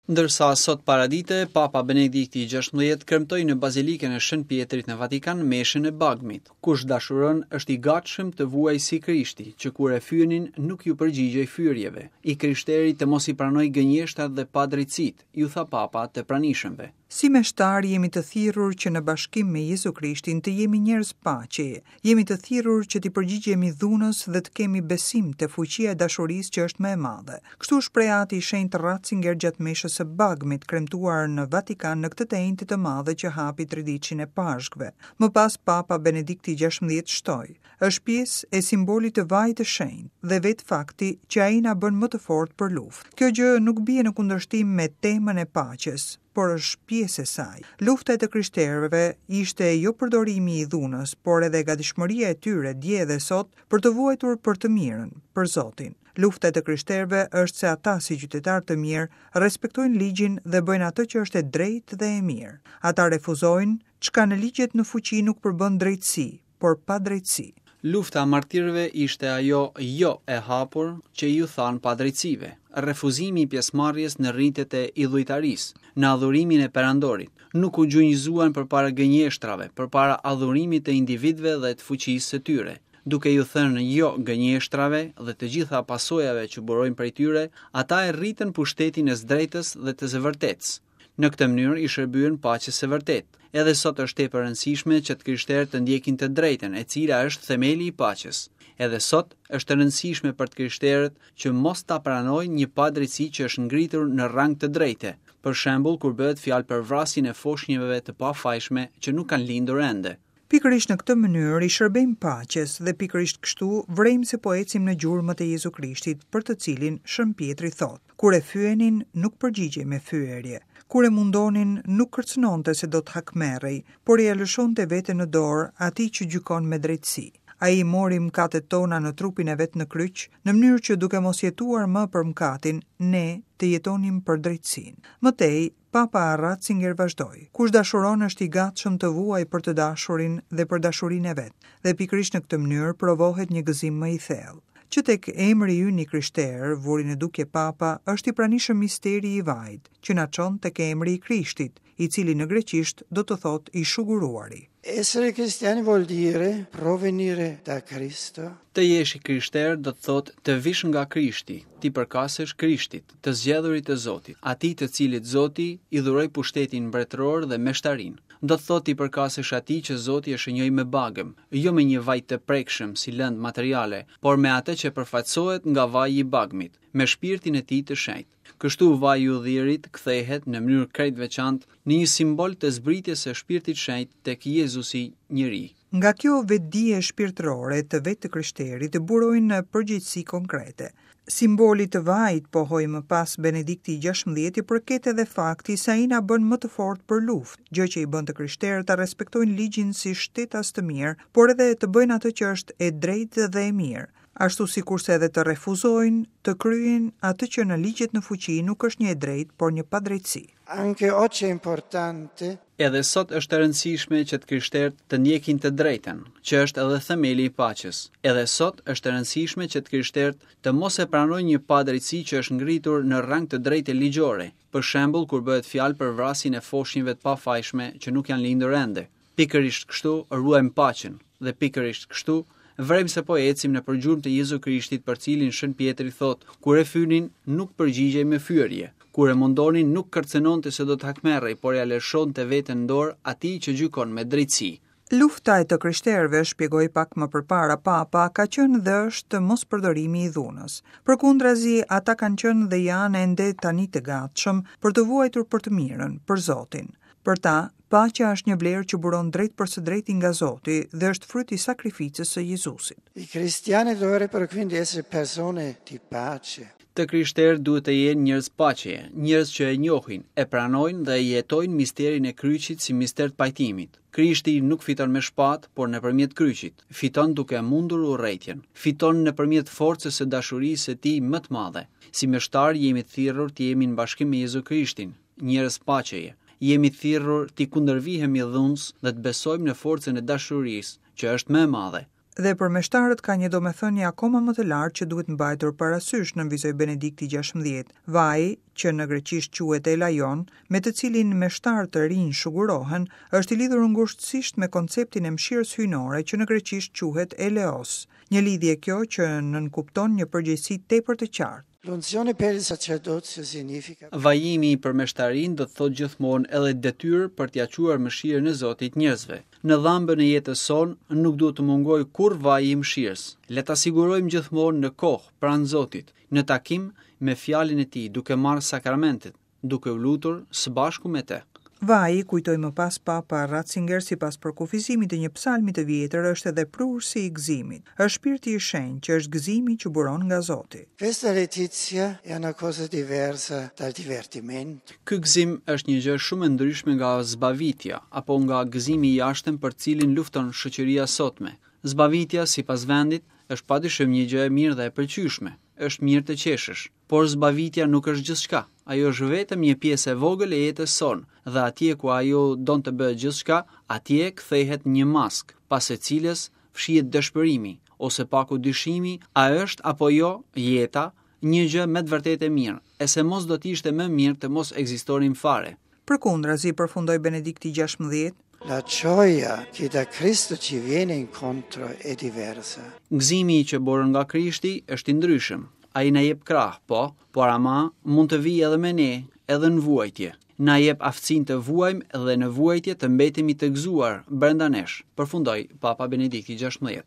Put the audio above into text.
Ndërsa sot paradite, Papa Benedikti i XVI kremtoi në Bazilikën e Shën Pjetrit në Vatikan meshën e Bagmit. Kush dashuron është i gatshëm të vuajë si Krishti, që kur e fyenin nuk iu përgjigjej fyerjeve. I krishteri të mos i pranojë gënjeshtrat dhe padrejtësitë, iu tha Papa të pranishëmve. Si meshtarë jemi të thirrur që në bashkim me Jezu Krishtin të jemi njerëz paqeje. Jemi të thirrur që t'i përgjigjemi dhunës dhe të kemi besim te fuqia e dashurisë që është më e madhe. Kështu u shpreh Ati i Shenjtë Ratzinger gjatë meshës së Bagmit, kremtuar në Vatikan në këtë të enjte të madhe që hapi triditshin e Pashkëve. Më pas Papa Benedikti i XVI shtoi, Është pjesë e simbolit të vajit të shenjtë dhe vetë fakti që ai na bën më të fortë për luftë. Kjo gjë nuk bie në kundërshtim me temën e paqes, por është pjesë e saj. Lufta e të krishterëve ishte jo përdorimi i dhunës, por edhe gatishmëria e tyre dje dhe sot për të vuajtur për të mirën, për Zotin. Lufta e të krishterëve është se ata si qytetarë të mirë respektojnë ligjin dhe bëjnë atë që është e drejtë dhe e mirë. Ata refuzojnë çka në ligjet në fuqi nuk përbën drejtësi, por padrejtësi. Lufta e martirëve ishte ajo jo e hapur që iu thanë padrejtësive, refuzimi i pjesëmarrjes në ritet e idhujtarisë, në adhurimin e perandorit. Nuk u gjunjëzuan përpara gënjeshtrave, përpara adhurimit të individëve dhe të fuqisë së tyre. Duke iu thënë jo gënjeshtrave dhe të gjitha pasojave që burojnë prej tyre, ata e rritën pushtetin e së drejtës dhe të së vërtetës. Në këtë mënyrë i shërbyen paqes së vërtetë. Edhe sot është tepër e rëndësishme që të krishterët të ndjekin të drejtën, e cila është themeli i paqes. Edhe sot është e rëndësishme për të krishterët që mos ta pranojnë një padrejtësi që është ngritur në rang të drejte, për shembull kur bëhet fjalë për vrasjen e foshnjeve të pafajshme që nuk kanë lindur ende. Pikërisht në këtë mënyrë i shërbejmë paqes dhe pikërisht kështu vërejmë se po ecim në gjurmët e Jezu Krishtit, për të cilin Shën Pjetri thotë, Kur e fyenin, nuk përgjigjej me fyerje. Kur e mundonin, nuk kërcënonte se do të hakmerrej, por ia lëshonte veten në dorë atij që gjykon me drejtësi. Ai i mori mëkatet tona në trupin e vet në kryq, në mënyrë që duke mos jetuar më për mëkatin, ne të jetonim për drejtësinë. Më tej, Papa Ratzinger vazhdoi, Kush dashuron është i gatshëm të vuajë për të dashurin dhe për dashurinë e vet, dhe pikërisht në këtë mënyrë provohet një gëzim më i thellë. Që tek emri ynë i krishterë, vuri në dukje Papa, është i pranishëm misteri i vajit, që na çon tek emri i Krishtit, i cili në greqisht do të thotë i shuguruari. Essere cristiani vuol dire provenire da Cristo. Të jesh i krishterë do të thotë të vish nga Krishti, t'i përkasësh Krishtit, të zgjedhurit të Zotit, atij të cilit Zoti i dhuroi pushtetin mbretëror dhe meshtarinë. Do të thotë t'i përkasësh atij që Zoti e shënjoi me bagëm, jo me një vaj të prekshëm si lëndë materiale, por me atë që përfaqësohet nga vaji i bagmit, me shpirtin e tij të shenjtë. Kështu vaji i ullirit kthehet në mënyrë krejt veçantë në një simbol të zbritjes së Shpirtit Shenjt tek Jezusi njeri. Nga kjo vetëdije shpirtërore të vetë të krishterit burojnë përgjegjësi konkrete. Simbolit të vajit, pohoi më pas Benedikti i XVI, i përket edhe fakti se ai na bën më të fortë për luftë, gjë që i bën të krishterët ta respektojnë ligjin si shtetas të mirë, por edhe të bëjnë atë që është e drejtë dhe e mirë. Ashtu sikurse edhe të refuzojnë të kryejnë atë që në ligjet në fuqi nuk është një e drejtë, por një padrejtësi. Anche oggi è importante. Edhe sot është e rëndësishme që të krishterët të ndjekin të drejtën, që është edhe themeli i paqes. Edhe sot është e rëndësishme që të krishterët të mos e pranojnë një padrejtësi që është ngritur në rang të drejte ligjore, për shembull kur bëhet fjalë për vrasjen e foshnjeve të pafajshme që nuk janë lindur ende. Pikërisht kështu ruajmë paqen dhe pikërisht kështu vërejmë se po ecim nëpër gjurmë të Jezu Krishtit për cilin Shën Pjetri thotë, kur e fynin nuk përgjigjej me fyerje, kur e mundonin nuk kërcënonte se do të hakmerrej, por ia lëshonte veten në dorë atij që gjykon me drejtësi. Lufta e të krishterëve, shpjegoi pak më përpara Papa, ka qenë dhe është mospërdorimi i dhunës. Përkundrazi, ata kanë qenë dhe janë ende tani të gatshëm për të vuajtur për të mirën, për Zotin. Për ta, paqja është një vlerë që buron drejtpërsëdrejti nga Zoti dhe është fryt i sakrificës së Jezusit. I cristiani dovrebbero quindi essere persone di pace. Të krishterët duhet të jenë njerëz paqeje, njerëz që e njohin, e pranojnë dhe e jetojnë misterin e kryqit si mister të pajtimit. Krishti nuk fiton me shpatë, por nëpërmjet kryqit. Fiton duke mundur urrejtjen. Fiton nëpërmjet forcës së dashurisë së tij më të madhe. Si meshtarë jemi të thirrur të jemi në bashkim me Jezu Krishtin, njerëz paqeje. Jemi të thirrur t'i kundërvihemi dhunës dhe të besojmë në forcën e dashurisë, që është më e madhe. Dhe për meshtarët ka një domethënie akoma më të lartë që duhet mbajtur parasysh, nënvizoi Benedikti XVI. Vaji, që në greqisht quhet elaion, me të cilin meshtarë të rinj shugurohen, është i lidhur ngushtësisht me konceptin e mëshirës hyjnore që në greqisht quhet eleos. Një lidhje kjo që nënkupton një përgjegjësi tepër të qartë. L'unzione per il sacerdozio significa. Vajimi për meshtarinë do të thotë gjithmonë edhe detyrë për t'ia çuar mëshirën e Zotit njerëzve. Në dhambën e jetës sonë nuk duhet të mungojë kurrë vaji i mëshirës. Le ta sigurojmë gjithmonë në kohë, pranë Zotit, në takim me fjalën e Tij, duke marrë sakramentet. duke u lutur së bashku me të. Vaji, kujtoi më pas Papa Ratzinger sipas përkufizimit të një psalmi të vjetër është edhe prurësi i gëzimit. Është Shpirti i Shenjtë që është gëzimi që buron nga Zoti. Questa letizia è una cosa diversa dal divertimento. Ky gëzim është një gjë shumë e ndryshme nga zbavitja apo nga gëzimi i jashtëm për të cilin lufton shoqëria e sotme. Zbavitja, sipas vendit, është padyshim një gjë e mirë dhe e pëlqyeshme. Është mirë të qeshësh. Por zbavitja nuk është gjithçka, ajo është vetëm një pjesë e vogël e jetës sonë dhe atje ku ajo don të bëhet gjithçka, atje kthehet një maskë, pas së cilës fshihet dëshpërimi, ose paku dyshimi a është apo jo jeta një gjë me të vërtetë e mirë, e se mos do të ishte më mirë të mos ekzistonim fare. Përkundrazi, përfundoi Benedikti XVI, La gioia che da Cristo ci viene incontro è diversa. Gëzimi që buron nga Krishti është i ndryshëm. Ai na jep krah, po, por ama mund të vijë edhe me ne, edhe në vuajtje. Na jep aftësinë të vuajmë dhe në vuajtje të mbetemi të gëzuar brenda nesh, përfundoi Papa Benedikti XVI.